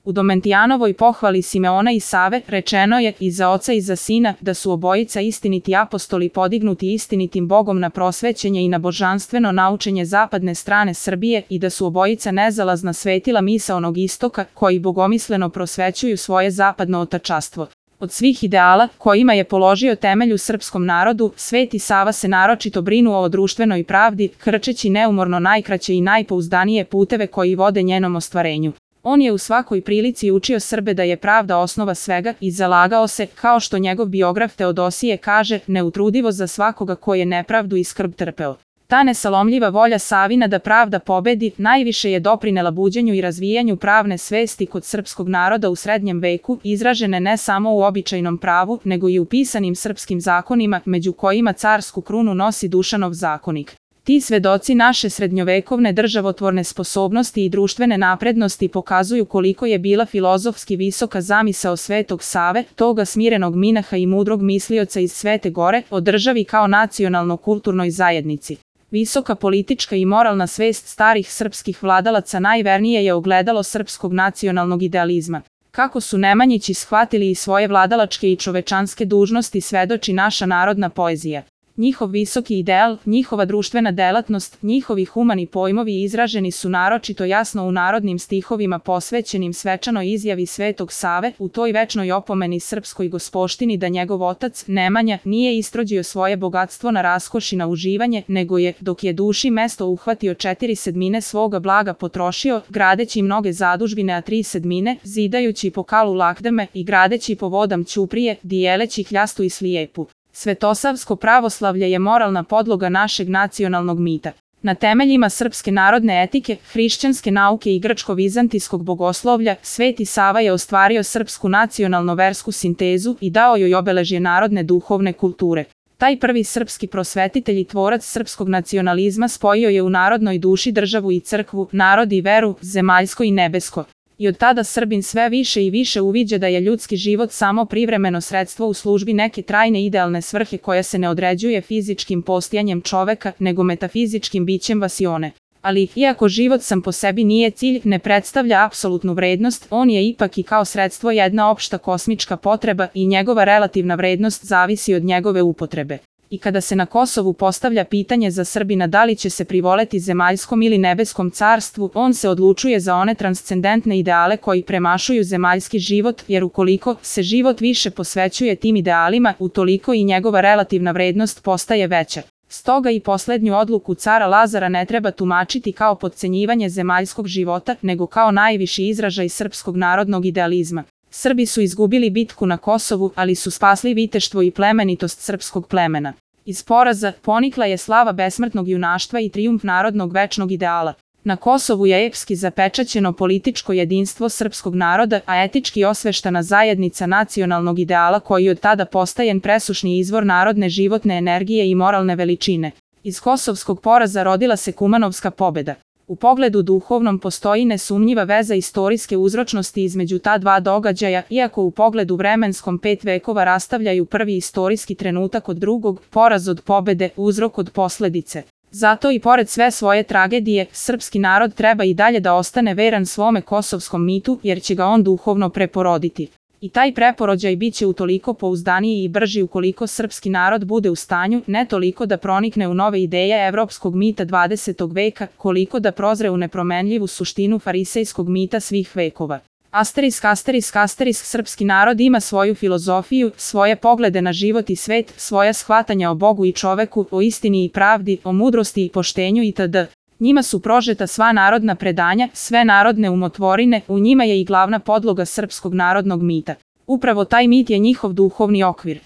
U Domentijanovoj pohvali Simeona i Save rečeno je i za oca i za sina da su obojica istiniti apostoli podignuti istinitim Bogom na prosvećenje i na božanstveno naučenje zapadne strane Srbije i da su obojica nezalazna svetila misaonog istoka koji bogomisleno prosvećuju svoje zapadno otačastvo. Od svih ideala kojima je položio temelj u srpskom narodu, Sveti Sava se naročito brinuo o društvenoj pravdi, krčeći neumorno najkraće i najpouzdanije puteve koji vode njenom ostvarenju. On je u svakoj prilici učio Srbe da je pravda osnova svega i zalagao se, kao što njegov biograf Teodosije kaže, neutrudivo za svakoga ko je nepravdu i skrb trpeo. Ta nesalomljiva volja Savina da pravda pobedi najviše je doprinela buđenju i razvijanju pravne svesti kod srpskog naroda u srednjem veku, izražene ne samo u običajnom pravu, nego i u pisanim srpskim zakonima, među kojima carsku krunu nosi Dušanov zakonik. Ti svedoci naše srednjovekovne državotvorne sposobnosti i društvene naprednosti pokazuju koliko je bila filozofski visoka zamisao Svetog Save, toga smirenog minaha i mudrog mislioca iz Svete Gore, o državi kao nacionalno-kulturnoj zajednici. Visoka politička i moralna svest starih srpskih vladalaca najvernije je ogledalo srpskog nacionalnog idealizma. Kako su Nemanjići shvatili i svoje vladalačke i čovečanske dužnosti svedoči naša narodna poezija. Njihov visoki ideal, njihova društvena delatnost, njihovi humani pojmovi izraženi su naročito jasno u narodnim stihovima posvećenim svečanoj izjavi Svetog Save, u toj večnoj opomeni srpskoj gospoštini da njegov otac, Nemanja, nije istrođio svoje bogatstvo na raskoš i na uživanje, nego je, dok je duši mesto uhvatio 4/7 svoga blaga potrošio, gradeći mnoge zadužbine, a 3/7, zidajući po kalu lakdeme i gradeći po vodam ćuprije, dijeleći kljastu i slijepu. Svetosavsko pravoslavlje je moralna podloga našeg nacionalnog mita. Na temeljima srpske narodne etike, hrišćanske nauke i grčko-vizantijskog bogoslovlja, Sveti Sava je ostvario srpsku nacionalno-versku sintezu i dao joj obeležje narodne duhovne kulture. Taj prvi srpski prosvetitelj i tvorac srpskog nacionalizma spojio je u narodnoj duši državu i crkvu, narod i veru, zemaljsko i nebesko. I od tada Srbin sve više i više uviđa da je ljudski život samo privremeno sredstvo u službi neke trajne idealne svrhe koja se ne određuje fizičkim postojanjem čoveka, nego metafizičkim bićem vasione. Ali, iako život sam po sebi nije cilj, ne predstavlja apsolutnu vrednost, on je ipak i kao sredstvo jedna opšta kosmička potreba i njegova relativna vrednost zavisi od njegove upotrebe. I kada se na Kosovu postavlja pitanje za Srbina da li će se privoleti zemaljskom ili nebeskom carstvu, on se odlučuje za one transcendentne ideale koji premašuju zemaljski život, jer ukoliko se život više posvećuje tim idealima, utoliko i njegova relativna vrednost postaje veća. Stoga i poslednju odluku cara Lazara ne treba tumačiti kao potcenjivanje zemaljskog života, nego kao najviši izražaj srpskog narodnog idealizma. Srbi su izgubili bitku na Kosovu, ali su spasli viteštvo i plemenitost srpskog plemena. Iz poraza ponikla je slava besmrtnog junaštva i trijumf narodnog večnog ideala. Na Kosovu je epski zapečaćeno političko jedinstvo srpskog naroda, a etički osveštana zajednica nacionalnog ideala koji od tada postaje presušni izvor narodne životne energije i moralne veličine. Iz kosovskog poraza rodila se Kumanovska pobeda. U pogledu duhovnom postoji nesumnjiva veza istorijske uzročnosti između ta dva događaja, iako u pogledu vremenskom 5 vekova rastavljaju prvi istorijski trenutak od drugog, poraz od pobede, uzrok od posledice. Zato i pored sve svoje tragedije, srpski narod treba i dalje da ostane veran svome kosovskom mitu, jer će ga on duhovno preporoditi. I taj preporođaj bit će utoliko pouzdaniji i brži ukoliko srpski narod bude u stanju ne toliko da pronikne u nove ideje evropskog mita 20. veka, koliko da prozre u nepromenljivu suštinu farisejskog mita svih vekova. Asterisk, asterisk, asterisk, srpski narod ima svoju filozofiju, svoje poglede na život i svet, svoja shvatanja o Bogu i čoveku, o istini i pravdi, o mudrosti i poštenju itd. Njima su prožeta sva narodna predanja, sve narodne umotvorine, u njima je i glavna podloga srpskog narodnog mita. Upravo taj mit je njihov duhovni okvir.